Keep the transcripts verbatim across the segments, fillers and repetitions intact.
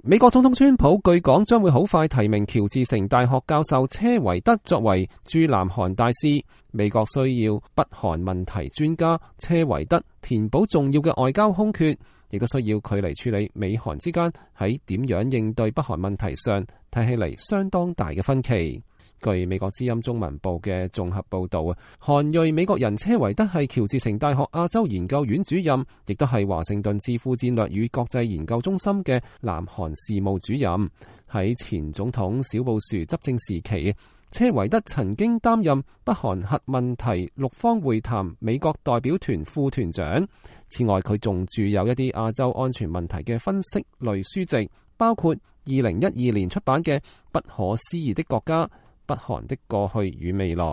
美國總統川普據講將會好快提名喬治城大學教授車維德作為駐南韓大使。美國需要北韓問題專家車維德填補重要嘅外交空缺，亦都需要佢嚟處理美韓之間喺點樣應對北韓問題上睇起嚟相當大嘅分歧。據美國之音中文部嘅綜合報道啊，韓裔美國人車維德係喬治城大學亞洲研究院主任，亦都係華盛頓智庫戰略與國際研究中心嘅南韓事務主任。喺前總統小布殊執政時期，車維德曾經擔任北韓核問題六方會談美國代表團副團長。此外，佢仲著有一啲亞洲安全問題嘅分析類書籍，包括二零一二年出版嘅《不可思議的國家：北韓的過去與未來》。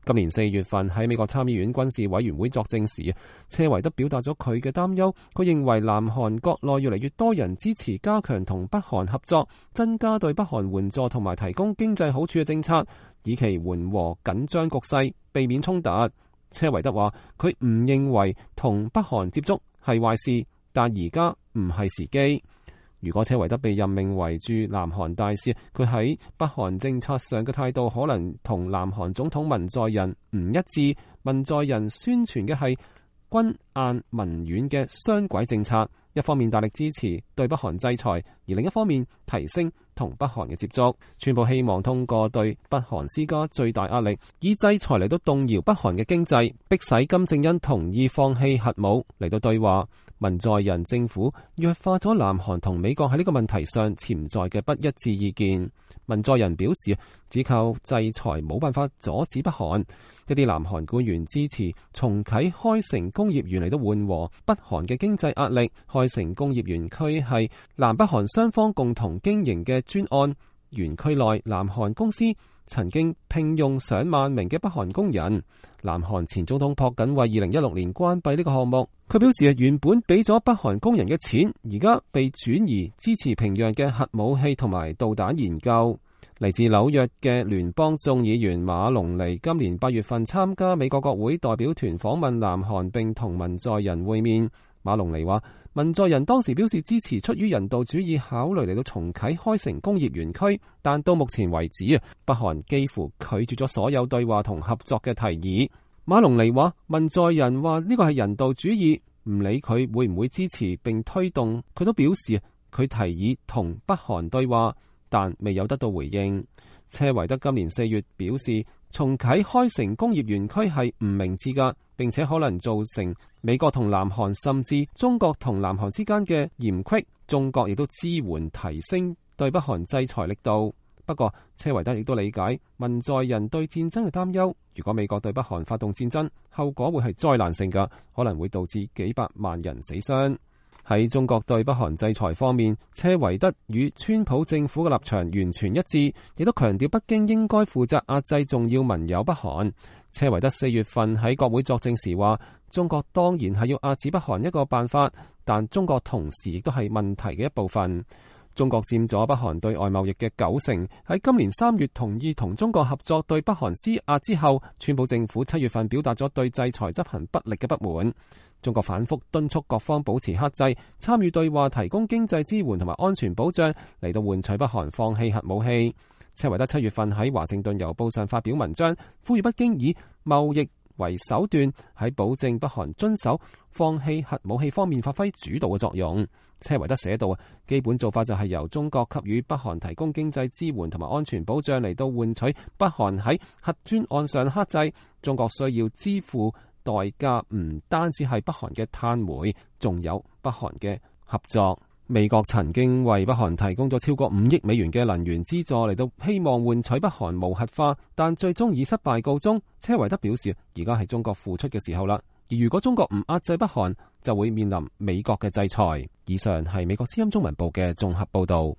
今年四月份喺美國參議院軍事委員會作證時，車維德表達咗佢嘅擔憂。佢認為南韓國內越嚟越多人支持加強同北韓合作，增加對北韓援助同埋提供經濟好處嘅政策，以期緩和緊張局勢，避免衝突。車維德話：佢唔認為同北韓接觸係壞事，但而家唔係時機。如果車維德被任命為駐南韓大使，佢喺北韓政策上嘅態度可能同南韓總統文在寅唔一致。文在寅宣傳嘅係軍硬民軟嘅雙軌政策，一方面大力支持對北韓制裁，而另一方面提升同北韓嘅接觸。川普希望通過對北韓施加最大壓力，以制裁嚟到動搖北韓嘅經濟，迫使金正恩同意放棄核武嚟到對話。文在寅政府弱化咗南韓同美國喺呢個問題上潛在嘅不一致意見。文在寅表示，只靠制裁冇辦法阻止北韓。一啲南韓官員支持重啟開城工業園嚟到緩和北韓嘅經濟壓力。開城工業園區係南北韓雙方共同經營嘅專案，園區內南韓公司曾經聘用上萬名嘅北韓工人。南韓前總統朴槿惠二零一六年關閉呢個項目，佢表示原本俾咗北韓工人嘅錢，而家被轉移支持平壤嘅核武器同埋導彈研究。嚟自紐約嘅聯邦眾議員馬龍尼今年八月份參加美國國會代表團訪問南韓，並同文在寅會面。馬龍尼話，文在寅當時表示支持出於人道主義考慮嚟到重啟開城工業園區，但到目前為止啊，北韓幾乎拒絕咗所有對話同合作嘅提議。馬龍尼話，文在寅話呢個係人道主義，唔理佢會唔會支持並推動，佢都表示佢提議同北韓對話，但未有得到回應。車維德今年四月表示，重啟開城工業園區係唔明智㗎，並且可能造成美國同南韓甚至中國同南韓之間嘅嫌隙。中國亦都支援提升對北韓制裁力度。不過，車維德亦都理解文在寅對戰爭嘅擔憂。如果美國對北韓發動戰爭，後果會係災難性㗎，可能會導致幾百萬人死傷。喺中國對北韓制裁方面，車維德與川普政府嘅立場完全一致，亦都強調北京應該負責壓制重要盟友北韓。車維德四月份喺國會作證時話，中國當然係要壓制北韓一個辦法，但中國同時亦都係問題嘅一部分。中國佔咗北韓對外貿易嘅九成。喺今年三月同意同中國合作對北韓施壓之後，川普政府七月份表達咗對制裁執行不力嘅不滿。中國反覆敦促各方保持克制，參與對話，提供經濟支援同埋安全保障，嚟到換取北韓放棄核武器。車維德七月份喺華盛頓郵報上發表文章，呼籲北京以貿易為手段，喺保證北韓遵守放棄核武器方面發揮主導嘅作用。車維德寫道，基本做法就係由中國給予北韓提供經濟支援同埋安全保障，嚟到換取北韓喺核專案上克制。中國需要支付代價唔單止係北韓嘅碳煤，仲有北韓嘅合作。美國曾經為北韓提供咗超過五億美元嘅能源資助，嚟到希望換取北韓無核化，但最終以失敗告終。車維德表示，而家係中國付出嘅時候啦，而如果中國唔壓制北韓，就會面臨美國嘅制裁。以上係美國之音中文部嘅綜合報道。